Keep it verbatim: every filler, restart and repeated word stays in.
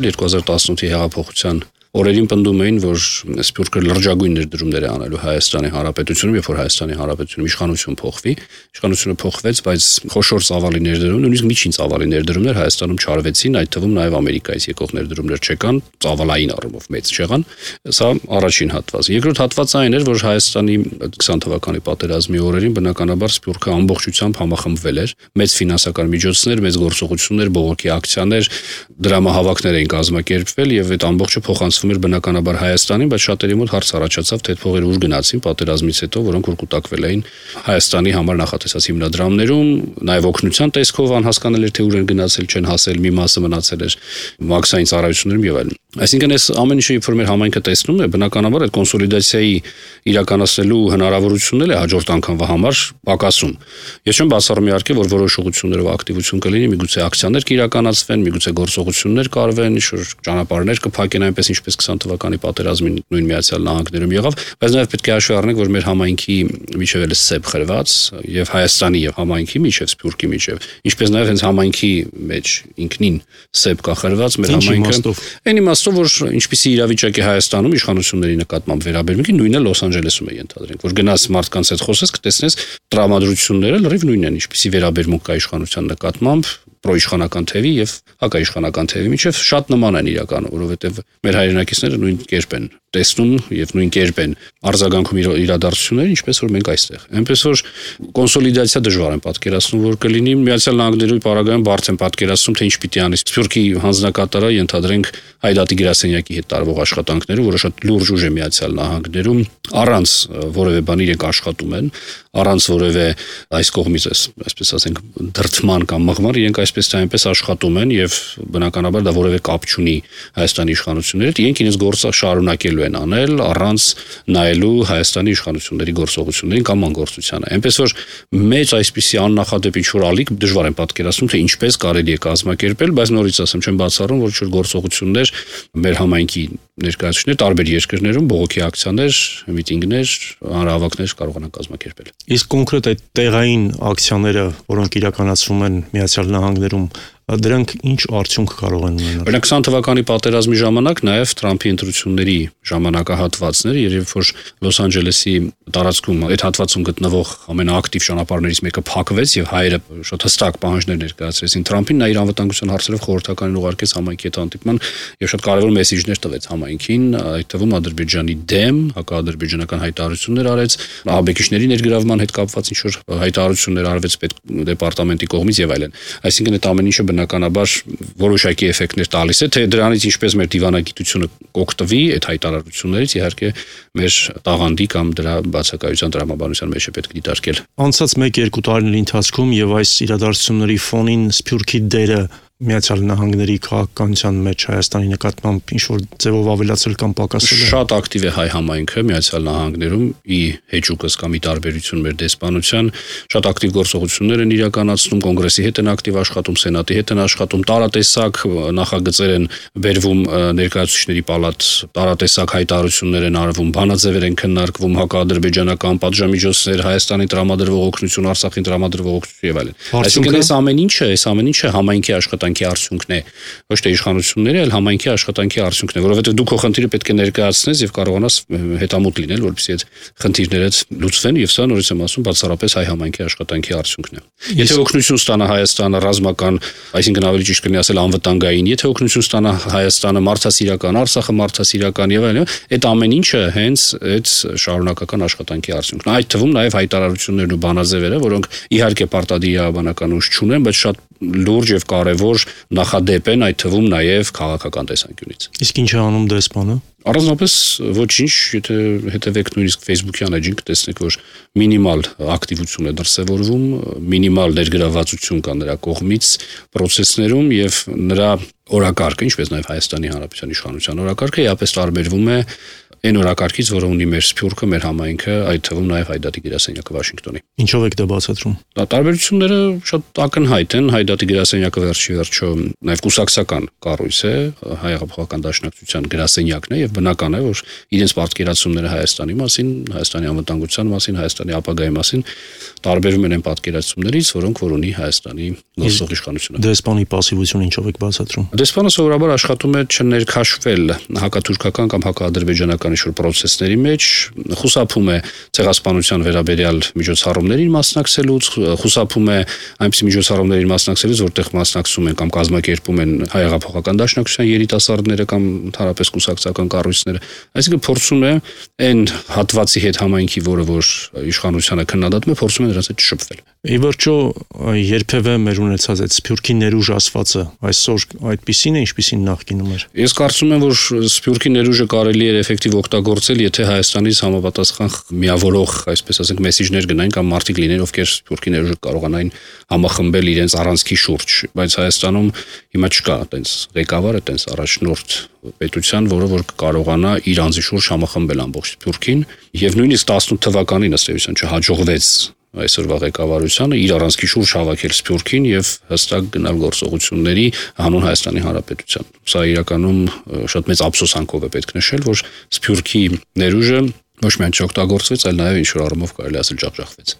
երկու հազար տասնութի հեղափոխության օրերին պնդում էին, որ Սփյուռքը լրջագույն ներդրումներ է անելու Հայաստանի Հանրապետությունում, երբ որ Հայաստանի Հանրապետությունում իշխանություն փոխվի, իշխանությունը փոխվեց, բայց խոշոր ծավալի ներդրում, նույնիսկ միջին ծավալի ներդրումներ Հայաստանում չարվեցին, այդ թվում նաև Ամերիկայից եկող ներդրումներ չկան, ծավալային առումով մեծ չեղան։ Սա առաջին հատվածը։ Երկրորդ հատվածը այն էր, որ Հայաստանի քսան թվականի պատերազմի օրերին բնականաբար Սփյուռքը ամբողջությամբ համախմբվել էր, մեծ ֆինանսական միջոցներ, մեծ գործողություններ, բողոքի ակցիաներ, դրամահավաքներ էին կազմակերպվել եւ այդ ամբողջը փոխանցվում էր բնականաբար Հայաստանին, բայց շատերի մոտ հարց առաջացավ, թե այդ փողերը ուր գնացին պատերազմից հետո, որոնք որ կուտակվել էին Հայաստանի համար նախատեսած հիմնադրամներում, նաև օգնության տեսքով անհասկանալի էր, թե ուր են գնացել, չեն հասել, մի մասը մնացել էր մաքսային ծառայություններում եւ այլն։ Այսինքն այս ամեն ինչը երբ որ մեր համայնքը տեսնում է, բնականաբար այդ կոնսոլիդացիայի իրականացնելու հնարավորությունները հաջորդ անգամվա համար պակասում։ Ես չեմ բացառում իհարկե, որ որոշ ուղղություններով ակտիվություն կլինի, միգուցե ակցիաներ կիրականացվեն, միգուցե գործողություններ կարվեն, ինչ-որ ճանապարհներ կփակեն, այնպես ինչպես քսան թվականի պատերազմին նույն Միացյալ Նահանգներում եղավ, բայց նաև պետք է հաշվի առնենք, որ մեր համայնքի միջև էլ սեփ խրված եւ Հայաստանի եւ համայնքի միջև, Սփյուռքի միջև, ինչպես նաև հենց համայնքի մեջ ինքնին սեփ կա խրված մեր համայնքը։ Այն իմաստով, որ ինչպիսի իրավիճակ է Հայաստանում իշխանությունների նկատմամբ վերաբերմունքի, նույնը Լոս Անջելեսում է ենթադրենք, որ գնաս մարդկանց հետ խոսես, կտեսնես տրամադրությունները լրիվ նույնն են, ինչպիսի վերաբերմունք կա իշխանության նկատմամբ, պրոիշխանական թևի եւ հակաիշխանական թևի միջև շատ նման են իրականում, որովհետեւ մեր հայրենակիցները նույն կերպ են տեսնում եւ նույն կերպ են արձագանքում իրադարձությունները, ինչպես որ մենք այստեղ։ Այնպես որ կոնսոլիդացիա դժվար են պատկերացնում, որ կլինի Միացյալ Նահանգների պարագայում բարձ են պատկերացնում, թե ինչ պիտի անի Սփյուռքի հանձնակատարը, ենթադրենք Հայդատի գրասենյակի հետ տարվող աշխատանքները, որը շատ լուրջ ուժ է Միացյալ Նահանգներում, առանց որևէ բանի իրենք աշխատում են, առանց որևէ այս կողմից այսպես ասենք դրդման կամ մղման, իրենք այսպես թե այնպես աշխատում են եւ բնականաբար դա որևէ կապ չունի Հայաստանի իշխանությունների հետ, իրենք իրենց գործը շարունակելու են անել առանց նայելու Հայաստանի իշխանությունների գործողություններին կամ անգործությանը։ Այնպես որ մեծ այսպիսի աննախադեպ ինչ-որ ալիք դժվար են պատկերացնում, թե ինչպես կարելի է կազմակերպել, բայց նորից ասեմ, չեմ բացառում, որ ինչ-որ գործողություններ մեր համայնքի ներկայացուցիչներ տարբեր երկրներում բողոքի ակցիաներ, միտինգներ, հանրահավաքներ կարողանան կազմակերպել։ Իսկ կոնկրետ այդ տեղային ակցիաները, որոնք իրականացվում են Միացյալ Նահանգներում, դրանք ինչ արդյունք կարող են ունենալ։ Օրինակ քսան թվականի պատերազմի ժամանակ նաև Թրամփի ընտրությունների ժամանակահատվածները, երբ որ Լոս Անջելեսի տարածքում այդ հատվածում գտնվող ամենաակտիվ ճանապարհներից մեկը փակվեց եւ հայերը շատ հստակ պահանջներ ներկայացրեցին Թրամփին, նա իր անվտանգության հարցերով խորհրդականին ուղարկեց համայնքի հետ հանդիպման եւ շատ կարևոր մեսիջներ տվեց համայնքին, այդ թվում Ադրբեջանի դեմ հակաադրբեջանական հայտարարություններ արեց, ահաբեկիչների ներգրավման հետ կապված ինչ որ հայտարարություններ արվեց պետդեպարտամենտի կողմից եւ այլն։ Այսինքն այդ ամեն ինչը բնականաբար որոշակի էֆեկտներ տալիս է, թե դրանից ինչպես մեր դիվանագիտությունը կօգտվի այդ հայտարարություններից, իհարկե մեր տաղանդի կամ դրա բացակայության տրամաբանության մեջ է պետք դիտարկել։ Անցած մեկ-երկու տարիների ընթացքում եւ այս իրադարձությունների ֆոնին Սփյուռքի դերը Միացյալ Նահանգների քաղաքականության մեջ Հայաստանի նկատմամբ ինչ-որ ձևով ավելացել կամ պակասել է։ Շատ ակտիվ է հայ համայնքը Միացյալ Նահանգներում, ի հեճուկս կամ ի տարբերություն մեր դեսպանության, շատ ակտիվ գործողություններ են իրականացնում, կոնգրեսի հետ են ակտիվ աշխատում, սենատի հետ են աշխատում, տարատեսակ նախագծեր են բերվում ներկայացուցիչների պալատ, տարատեսակ հայտարարություններ են արվում, բանաձևեր են քննարկվում, հակաադրբեջանական պատժամիջոցներ, Հայաստանի տրամադրվող օգնություն, Արցախին տրամադրվող օգնություն եւ այլն։ Այսինքն այս ամեն ինչը, այս ամեն ինչը համայնքի աշխատանքի արդյունքն է, ոչ թե իշխանությունների, այլ համայնքի աշխատանքի արդյունքն է, որովհետև դու քո խնդիրը պետք է ներկայացնես եւ կարողանաս հետամուտ լինել, որպեսզի այդ խնդիրները լուծվեն եւ սա նորից եմ ասում, բացառապես հայ համայնքի աշխատանքի արդյունքն է։ Եթե օգնություն ստանա Հայաստանը ռազմական, այսինքն ավելի ճիշտ կլինի ասել անվտանգային, եթե օգնություն ստանա Հայաստանը մարդասիրական, Արցախը մարդասիրական եւ այլն, այդ ամեն ինչը հենց այդ շարունակական աշխատանքի արդյունքն է։ Այդ թվում նաեւ հայտարարություններն ու բանաձևերը, որոնք իհարկե պարտադիրաբանական ուժ չունեն, բայց շատ լուրջ եւ կարեւոր նախադեպ են, այդ թվում նաեւ քաղաքական տեսանկյունից։ Իսկ ինչ է անում դեսպանը։ Առանձնապես ոչինչ, եթե հետևեք նույնիսկ Facebook-յան էջին կտեսնեք, որ մինիմալ ակտիվություն է դրսևորվում, մինիմալ ներգրավվածություն կա նրա կողմից process-ներում եւ նրա օրակարգը, ինչպես նաեւ Հայաստանի Հանրապետության իշխանության օրակարգը, իհապես տարբերվում է այն օրակարգից, որը ունի մեր Սփյուռքը, մեր համայնքը, այդ թվում նաև Հայդատի գրասենյակը Վաշինգտոնի։ Ինչով եք դա բացատրում։ Տարբերությունները շատ ակնհայտ են։ Հայդատի գրասենյակը վերջի վերջո նաև կուսակցական կառույց է, Հայ-հեղափոխական դաշնակցության գրասենյակն է, եւ բնական է, որ իրենց պատկերացումները Հայաստանի մասին, Հայաստանի անվտանգության մասին, Հայաստանի ապագայի մասին տարբերվում են այն պատկերացումներից, որոնք որ ունի Հայաստանի գործող իշխանությունը։ Դեսպանի պասիվությունը ինչով եք բացատրում։ Դեսպանը սովորաբար աշխատում է չներքաշվել հակաթուրքական կամ հակաադրբեջանական ինչ-որ պրոցեսների մեջ, խուսափում է ցեղասպանության վերաբերյալ միջոցառումներին մասնակցելուց, խուսափում է այնպիսի միջոցառումներին մասնակցելուց, որտեղ մասնակցում են կամ կազմակերպում են Հայ-հեղափոխական դաշնակցության երիտասարդները կամ ընդհանրապես կուսակցական կառույցները, այսինքն փորձում է այն հատվածի հետ համայնքի, որը որ իշխանությանը քննադատում է, փորձում է նրանց հետ շփվել։ Ի վերջո, երբևէ մեր ունեցած այդ Սփյուռքի ներուժ ասվածը այսօր այդպիսին է, ինչպիսին նախկինում էր։ Ես կարծում եմ, որ Սփյուռքի ներուժը կարելի է էֆեկտիվ օգտագործել, եթե Հայաստանից համապատասխան միավորող, այսպես ասենք, մեսիջներ գնային կամ մարդիկ լինեն, ովքեր Սփյուռքի ներուժը կարողանային համախմբել իրենց առանցքի շուրջ, բայց Հայաստանում հիմա չկա այդպես ղեկավար, այդպես առաջնորդ պետության, որը որ կարողանա իր անձի շուրջ համախմբել ամբողջ Սփյուռքին, եւ նույնիսկ տասնութ թվականին ըստ էության չհաջողվեց այսօրվա ղեկավարությանը իր առանցքի շուրջ հավաքել Սփյուռքին եւ հստակ գնալ գործողությունների հանուն Հայաստանի Հանրապետության։ Սա իրականում շատ մեծ ափսոսանքով է պետք նշել, որ Սփյուռքի ներուժը ոչ միայն չօգտագործվեց, այլ նաեւ ինչ որ առումով կարելի ասել ջախջախվեց։